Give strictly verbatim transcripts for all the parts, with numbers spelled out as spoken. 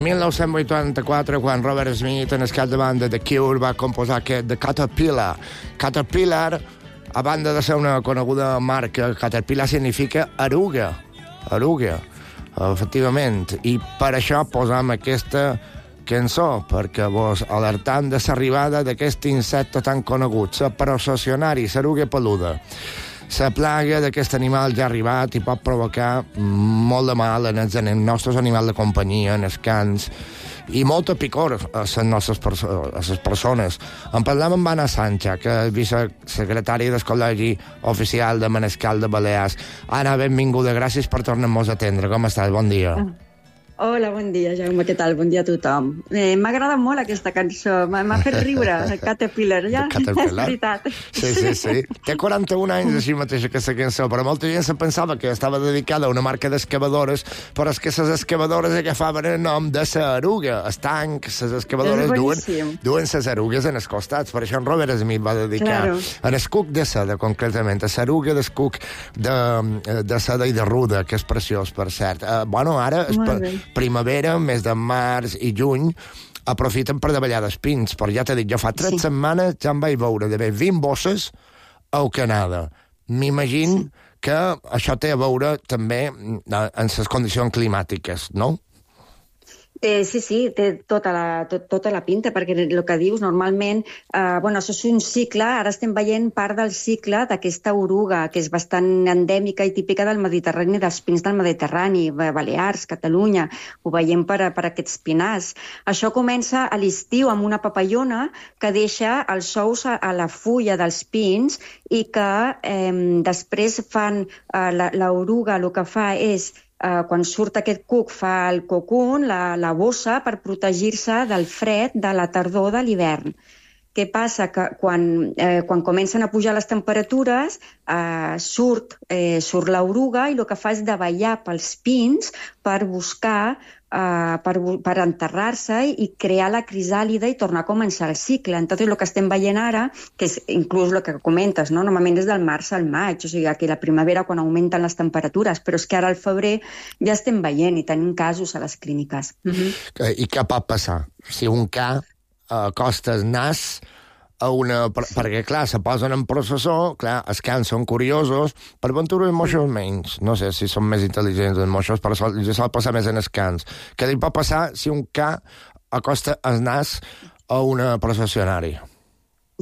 mil nou-cents vuitanta-quatre, quan Robert Smith, en el cap de banda de Cure, va composar aquest The Caterpillar. Caterpillar, a banda de ser una coneguda marca, Caterpillar significa eruga, eruga, efectivament. I per això posam aquesta cançó, perquè vos alertam de l'arribada d'aquest insecte tan conegut, la processionari, l'eruga peluda. La plaga d'aquest animal ja ha arribat i pot provocar molt de mal en els nostres animals de companyia, en els cans, i molta picor a les nostres perso a les persones. En parlem amb Anna Sancha, que és vicesecretària del Col·legi Oficial de Manescal de Balears. Anna, benvinguda, gràcies per tornar-nos a atendre. Com estàs? Bon dia. Hola, bon dia, Jaume, què tal? Bon dia a tothom. Eh, M'ha agradat molt aquesta cançó, m'ha fet riure, el Caterpillar, ja? Caterpillar? És veritat. Sí, sí, sí. Té quaranta-un anys així mateix aquesta cançó, però molta gent se pensava que estava dedicada a una marca d'excavadores, però és que les excavadores agafaven el nom de la eruga. El tanc, les excavadores duen, duen les erugues en els costats. Per això en Robert Smith va dedicar claro. en el cuc de seda, concretament, a l'eruga del cuc de, de seda i de ruda, que és preciós, per cert. Uh, bueno, ara... primavera, mes de març i juny, aprofiten per davallar d'espins, però ja t'he dit, jo fa tres sí. setmanes ja em vaig veure d'haver vint bosses a Canada. M'imagino sí. que això té a veure també en les condicions climàtiques, no? Eh, sí, sí, té tota la, tot, tota la pinta, perquè el que dius, normalment, eh, bueno, això és un cicle, ara estem veient part del cicle d'aquesta oruga, que és bastant endèmica i típica del Mediterrani, dels pins del Mediterrani, Balears, Catalunya, ho veiem per, per aquests pinars. Això comença a l'estiu amb una papallona que deixa els ous a, a la fulla dels pins i que eh, després fan, eh, l'oruga el que fa és Uh, quan surt aquest cuc, fa el cocún, la, la bossa, per protegir-se del fred de la tardor de l'hivern. Què passa? Que quan, eh, quan comencen a pujar les temperatures, eh, surt, eh, surt l'oruga i el que fa és davallar pels pins per buscar, eh, per, per enterrar-se i crear la crisàlida i tornar a començar el cicle. Entonces, el que estem veient ara, que és inclús el que comentes, no? Normalment és del març al maig, o sigui, aquí la primavera quan augmenten les temperatures, però és que ara al febrer ja estem veient i tenim casos a les clíniques. Mm-hmm. I què pot passar? Si un ca acosta el nas a una... Per, perquè, clar, se posen en processó, clar, els cans són curiosos, per ventura els moixos menys. No sé si són més intel·ligents els moixos, però sol, sol passar més en els cans. Què li pot passar si un ca acosta el nas a una processionària?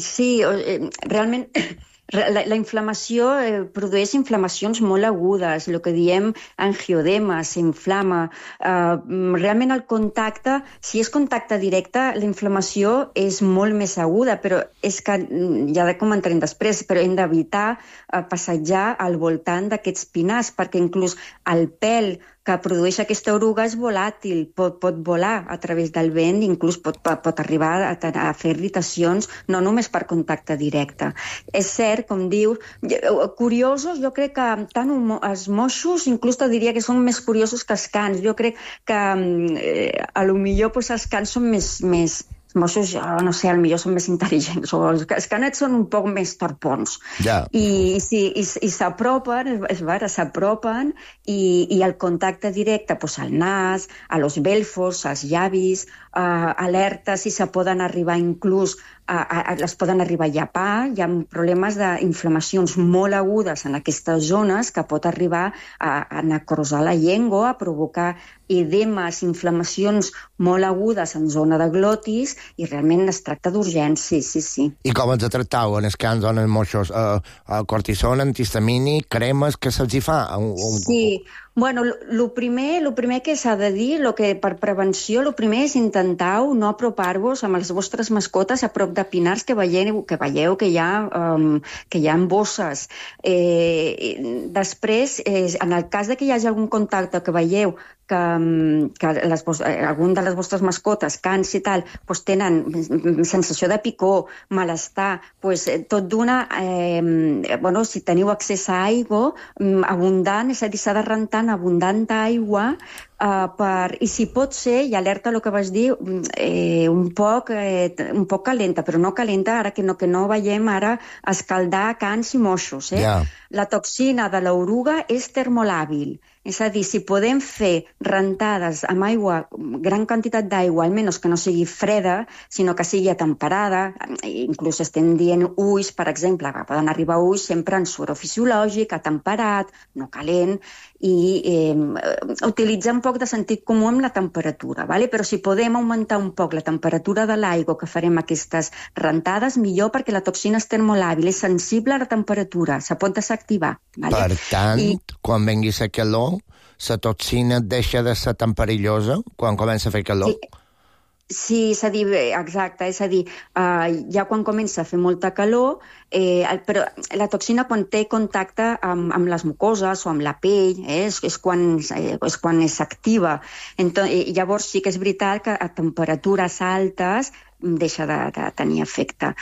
Sí, eh, realment... La, la inflamació eh, produeix inflamacions molt agudes, el que diem angioedema, s'inflama. Uh, realment el contacte, si és contacte directe, la inflamació és molt més aguda, però és que, ja ho comentarem després, però hem d'evitar uh, passejar al voltant d'aquests pinars, perquè inclús el pèl que produeix aquesta oruga és volàtil, pot, pot volar a través del vent, inclús pot, pot arribar a, a fer irritacions, no només per contacte directe. És cert, com dius, curiosos, jo crec que tant els moixos, inclús te diria que són més curiosos que els cans. Jo crec que eh, a lo millor pues, els cans són més... més els moixos, no sé, potser són més intel·ligents, o els, els canets són un poc més torpons. Ja. I, i, i, i s'apropen, és vera, s'apropen, i, i el contacte directe, pues, al nas, a los belfos, als llavis, uh, alerta si se poden arribar inclús a, a, a, les poden arribar a llapar, hi ha problemes d'inflamacions molt agudes en aquestes zones que pot arribar a, a necrosar la llengua, a provocar edemes, inflamacions molt agudes en zona de glotis, i realment es tracta d'urgència, sí, sí. I com els tractau en els cans o en els moixos? Uh, uh, cortisona, antihistamínic, cremes, què se'ls hi fa? Un, un... Sí, bueno, el primer, lo primer que s'ha de dir, lo que per prevenció, el primer és intentau no apropar-vos amb les vostres mascotes a prop de pinars que veieu que, veieu que, hi, ha, um, que hi ha bosses. Eh, després, eh, en el cas de que hi hagi algun contacte que veieu que, que les, algun de les vostres mascotes, cans i tal, doncs tenen sensació de picor, malestar, doncs tot d'una, eh, bueno, si teniu accés a aigua abundant, és a dir, s'ha de rentar en abundant aigua, Uh, per, i si pot ser, i alerta el que vas dir, eh, un, poc, eh, un poc calenta, però no calenta ara que no, que no veiem ara escaldar cans i moixos. Eh? Yeah. La toxina de l'oruga és termolàbil, És a dir, si podem fer rentades amb aigua, gran quantitat d'aigua, almenys que no sigui freda, sinó que sigui atemperada, inclús estem dient ulls, per exemple, que poden arribar ulls sempre en suor fisiològic, atemperat, no calent, i eh, utilitzar un poc de sentit comú amb la temperatura, ¿vale? Però si podem augmentar un poc la temperatura de l'aigua que farem aquestes rentades, millor, perquè la toxina és termolàbil, és sensible a la temperatura, se pot desactivar. ¿Vale? Per tant, I... quan vengui la calor, la toxina deixa de ser tan perillosa quan comença a fer calor? Sí. Sí, és a dir, exacte, és a dir, uh, ja quan comença a fer molta calor, eh, però la toxina quan té contacte amb, amb les mucoses o amb la pell, eh, és, és, quan, eh, és quan s'activa. Llavors sí que és veritat que a temperatures altes deixa de, de tenir efecte.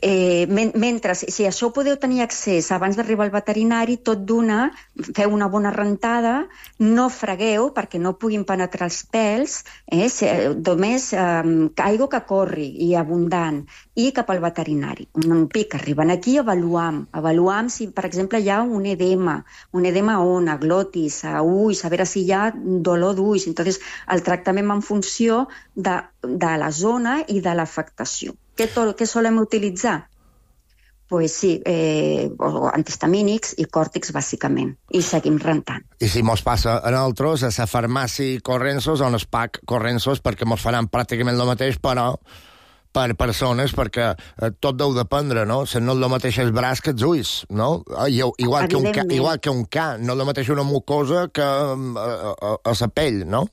Eh, men mentre, si això podeu tenir accés abans d'arribar al veterinari, tot d'una, feu una bona rentada, no fregueu perquè no puguin penetrar els pèls, eh, només eh, aigua que corri i abundant, i cap al veterinari. Un pic, arriben aquí, avaluam, avaluam si, per exemple, hi ha un edema, un edema on, a glotis, a ulls, a veure si hi ha dolor d'ulls. Entonces, el tractament en funció de, de la zona i de l'afectació. Què, què solem utilitzar? Pues sí, eh, antihistamínics i còrtics, bàsicament. I seguim rentant. I si mos passa a nosaltres, a la farmàcia Corrensos o en el P A C Corrensos, perquè mos faran pràcticament el mateix, però per persones, perquè eh, tot deu dependre, no? Si no és el mateix el braç que els ulls, no? Igual que, un ca, igual que un ca, no és el mateix una mucosa que a, a, a la pell, no?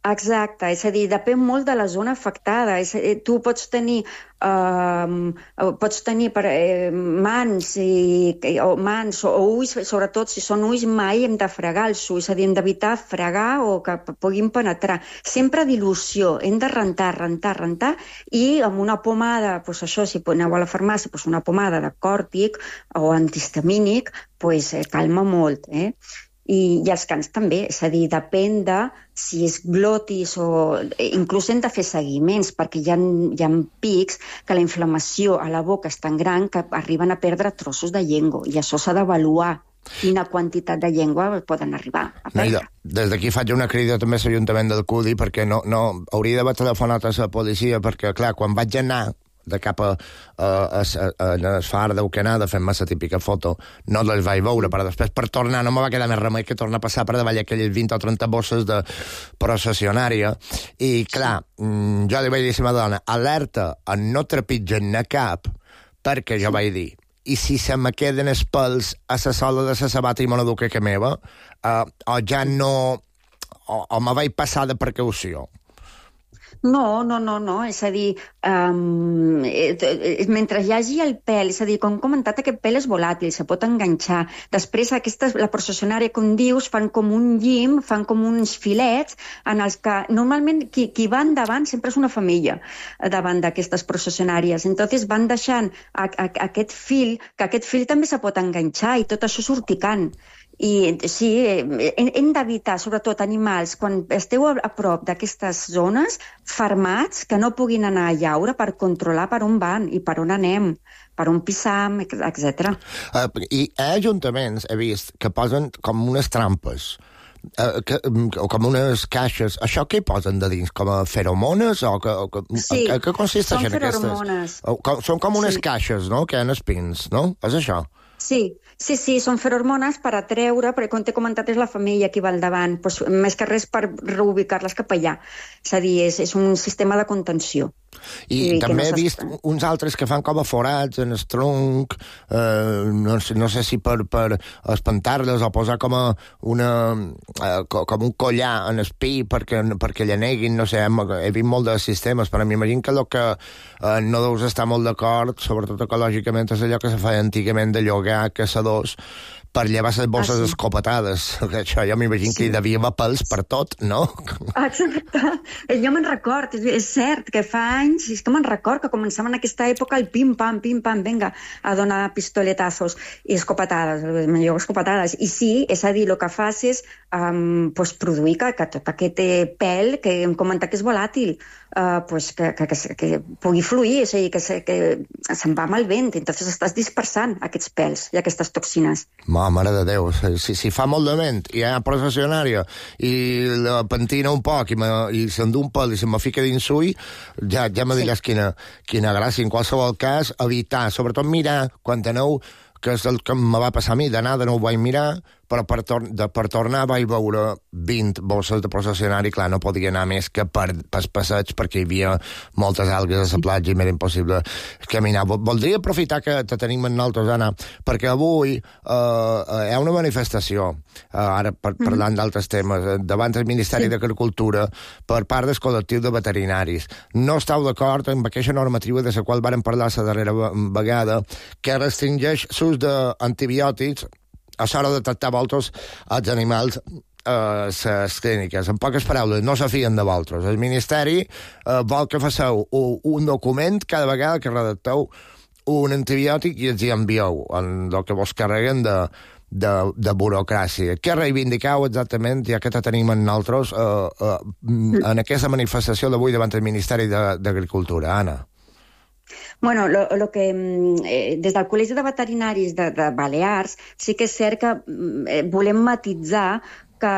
Exacte, és a dir, depèn molt de la zona afectada. És a dir, tu pots tenir, uh, pots tenir per, eh, mans, i, o mans o ulls, sobretot si són ulls, mai hem de fregar els ulls, és a dir, hem d'evitar fregar o que puguin penetrar. Sempre dilució, hem de rentar, rentar, rentar, i amb una pomada, doncs això, si aneu a la farmàcia, doncs una pomada de còrtic o antihistamínic, doncs eh, calma molt, eh? I, i els cans també, és a dir, depèn de si és glotis o... Inclús hem de fer seguiments, perquè hi ha, hi ha pics que la inflamació a la boca és tan gran que arriben a perdre trossos de llengua, i això s'ha d'avaluar quina quantitat de llengua poden arribar a perdre. Mira, des d'aquí faig una crida també a l'Ajuntament del Cudi, perquè no, no hauria d'haver telefonat a la policia, perquè, clar, quan vaig anar de cap a, a, a, a, a el far d'Euquenada fent-me la típica foto, no les vaig veure, però després per tornar no me va quedar més remei que tornar a passar per davall aquelles vint o trenta bosses de processionària, i clar, jo li vaig dir a la dona, alerta, no trepitgen a cap, perquè jo vaig dir, i si se me queden els pèls a la sola de la sabata i me l'educa que meva, uh, o ja no, o, o me vaig passar de precaució. No, no, no, no, és a dir, um, mentre hi hagi el pèl, és a dir, com hem comentat, aquest pèl és volàtil, se pot enganxar. Després, aquestes, la processionària, com dius, fan com un llim, fan com uns filets, en els que normalment qui, qui va endavant sempre és una femella davant d'aquestes processionàries. Entonces van deixant a, a, a aquest fil, que aquest fil també se pot enganxar i tot això és urticant. I sí, hem d'evitar, sobretot animals, quan esteu a prop d'aquestes zones, fermats, que no puguin anar a llaure per controlar per on van i per on anem, per on pissam, etcètera. Uh, I a ajuntaments he vist que posen com unes trampes, uh, que, o com unes caixes. Això què hi posen de dins? Com a feromones? O que, o que, sí, a, a què consisteixen són feromones. Aquestes? Com, són com unes sí. caixes, no?, que han espins, no? És això? Sí, sí, sí, són ferormones per atreure, perquè com t'he comentat és la femella qui va al davant, doncs, més que res per reubicar-les cap allà. És a dir, és, és un sistema de contenció. I, I també no he vist uns altres que fan com a forats en el tronc, eh, no, sé, no sé si per, per espantar-les o posar com a una, eh, com un collar en el pi perquè, perquè llaneguin, no sé, he vist molt de sistemes, però m'imagino que el que eh, no deus estar molt d'acord, sobretot ecològicament, és allò que se feia antigament de llogar caçadors per llevar les bosses ah, sí. escopetades. Això jo m'imagino sí. que hi devia haver pèls per tot, no? Exacte. Jo me'n record, és, és cert que fa anys, és que me'n record que començava en aquesta època el pim-pam, pim-pam, venga, a donar pistoletazos i escopetades, millor escopetades. I sí, és a dir, el que fas és um, pues, produir que, que tot aquest pèl, que hem comentat que és volàtil, uh, pues, que, que, que, que pugui fluir, és a dir, que, se, que se'n va amb el vent, entonces estàs dispersant aquests pèls i aquestes toxines. Molt mare de Déu, si, si fa molt de ment i hi ha processionària i la pentina un poc i, me, i s'endú un pèl i se me fica dins ull, ja, ja me diràs sí. quina, quina gràcia. En qualsevol cas, evitar, sobretot mirar quan aneu, que és el que me va passar a mi, d'anada no ho vaig mirar, però per, tor de, per tornar vaig veure vint bosses de processionari, clar, no podia anar més que per, per passeig, perquè hi havia moltes algues a la platja i m'era impossible caminar. Voldria aprofitar que te tenim en nosaltres, Anna, perquè avui eh, hi ha una manifestació, eh, ara par parlant d'altres temes, eh, davant del Ministeri sí. d'Agricultura per part del col·lectiu de veterinaris. No esteu d'acord amb aquesta normativa de la qual vàrem parlar la darrera vegada, que restringeix l'ús d'antibiòtics a l'hora de tractar vosaltres els animals a les clíniques. En poques paraules, no se fien de vosaltres. El Ministeri eh, vol que faceu un, un document cada vegada que redacteu un antibiòtic i els hi envieu en el que vos carreguen de, de, de burocràcia. Què reivindicau exactament, ja que te tenim en nosaltres, eh, eh, en aquesta manifestació d'avui davant del Ministeri d'Agricultura, Anna? Bueno, lo, lo que, eh, des del Col·legi de Veterinaris de, de Balears sí que és cert que eh, volem matitzar que,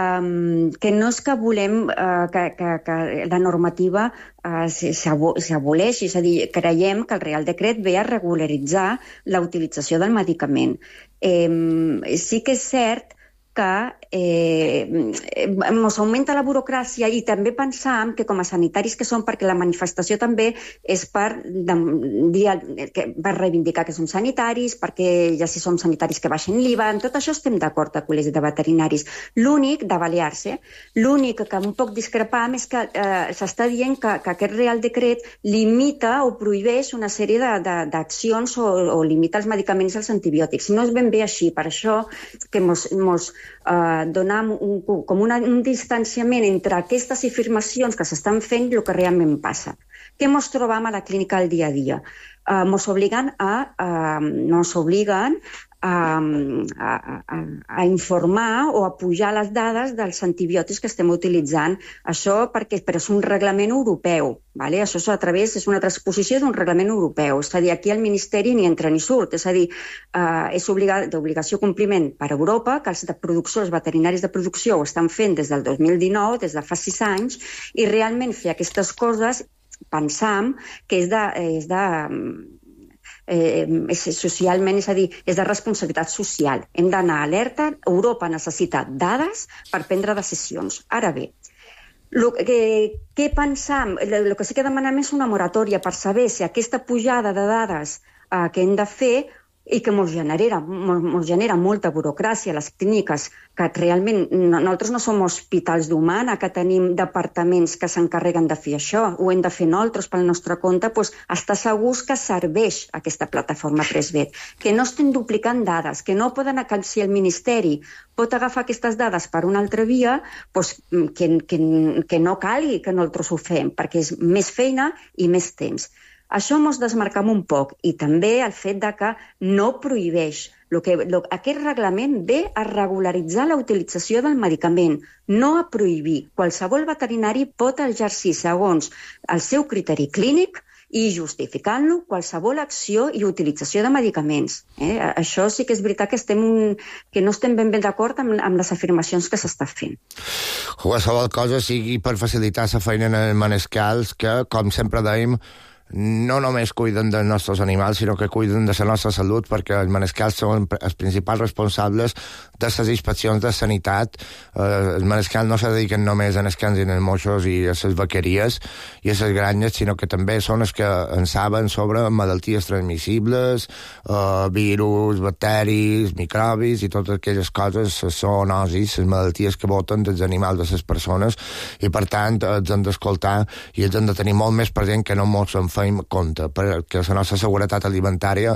que no és que volem eh, que, que, que la normativa eh, s'aboleixi, és a dir, creiem que el Real Decret ve a regularitzar la utilització del medicament. Eh, sí que és cert que eh, ens augmenta la burocràcia i també pensam que com a sanitaris que som, perquè la manifestació també és per, de, dir, per reivindicar que som sanitaris, perquè ja si som sanitaris que baixen l'I V A, en tot això estem d'acord al Col·legi de Veterinaris. L'únic, de Balears, eh, l'únic que un poc discrepam és que eh, s'està dient que, que aquest Real Decret limita o prohibeix una sèrie d'accions o, o limita els medicaments als antibiòtics. No és ben bé així, per això que mos, mos Uh, donar un, com una, un distanciament entre aquestes afirmacions que s'estan fent i el que realment passa. Què mos trobam a la clínica al dia a dia? Uh, mos obliguen a, uh, mos obliguen a, a, a, a informar o a pujar les dades dels antibiòtics que estem utilitzant. Això perquè, però és un reglament europeu. Vale? Això és a través, és una transposició d'un reglament europeu. És a dir, aquí el Ministeri ni entra ni surt. És a dir, eh, és d'obligació compliment per Europa, que els de producció, els veterinaris de producció ho estan fent des del dos mil dinou, des de fa sis anys, i realment fer aquestes coses pensam que és de... És de Eh, és socialment, és a dir, és de responsabilitat social. Hem d'anar alerta. Europa necessita dades per prendre decisions. Ara bé, lo que, què pensam? El que sí que demanem és una moratòria per saber si aquesta pujada de dades eh, que hem de fer i que ens genera, ens genera molta burocràcia a les clíniques, que realment no, nosaltres no som hospitals d'humana, que tenim departaments que s'encarreguen de fer això, ho hem de fer nosaltres pel nostre compte, doncs estar segurs que serveix aquesta plataforma Presvet, que no estem duplicant dades, que no poden, que si el Ministeri pot agafar aquestes dades per una altra via, doncs que, que, que no calgui que nosaltres ho fem, perquè és més feina i més temps. Això ens desmarcam un poc i també el fet de que no prohibeix. Lo que, lo, aquest reglament ve a regularitzar la utilització del medicament, no a prohibir. Qualsevol veterinari pot exercir segons el seu criteri clínic i justificant-lo qualsevol acció i utilització de medicaments. Eh? Això sí que és veritat que, estem, que no estem ben ben d'acord amb, amb les afirmacions que s'està fent. Qualsevol cosa sigui per facilitar la feina en manescals que, com sempre dèiem, no només cuiden dels nostres animals, sinó que cuiden de la nostra salut, perquè els manescals són els principals responsables de les inspeccions de sanitat. Eh, els manescals no se dediquen només a els cans i els moixos i a les vaqueries i a les granyes, sinó que també són els que en saben sobre malalties transmissibles, eh, virus, bacteris, microbis i totes aquelles coses, les zoonosis, les malalties que boten dels animals de les persones, i per tant els hem d'escoltar i els hem de tenir molt més present que no mos en fem compte, perquè la nostra seguretat alimentària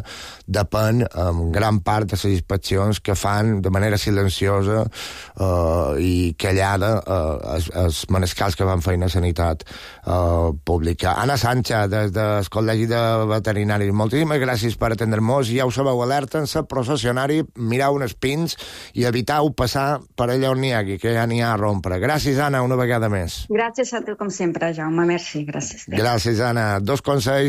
depèn en gran part de les inspeccions que fan de manera silenciosa eh, i callada eh, els, els manescals que van feina a sanitat eh, pública. Anna Sánchez, des del Col·legi de Veterinaris, moltíssimes gràcies per atendre-nos. Ja ho sabeu, alerten-se, processionari, mireu uns pins i eviteu passar per allà on n'hi hagi, que ja n'hi ha a rompre. Gràcies, Anna, una vegada més. Gràcies a tu, com sempre, Jaume. Merci, gràcies. Gràcies, Anna. Dos consells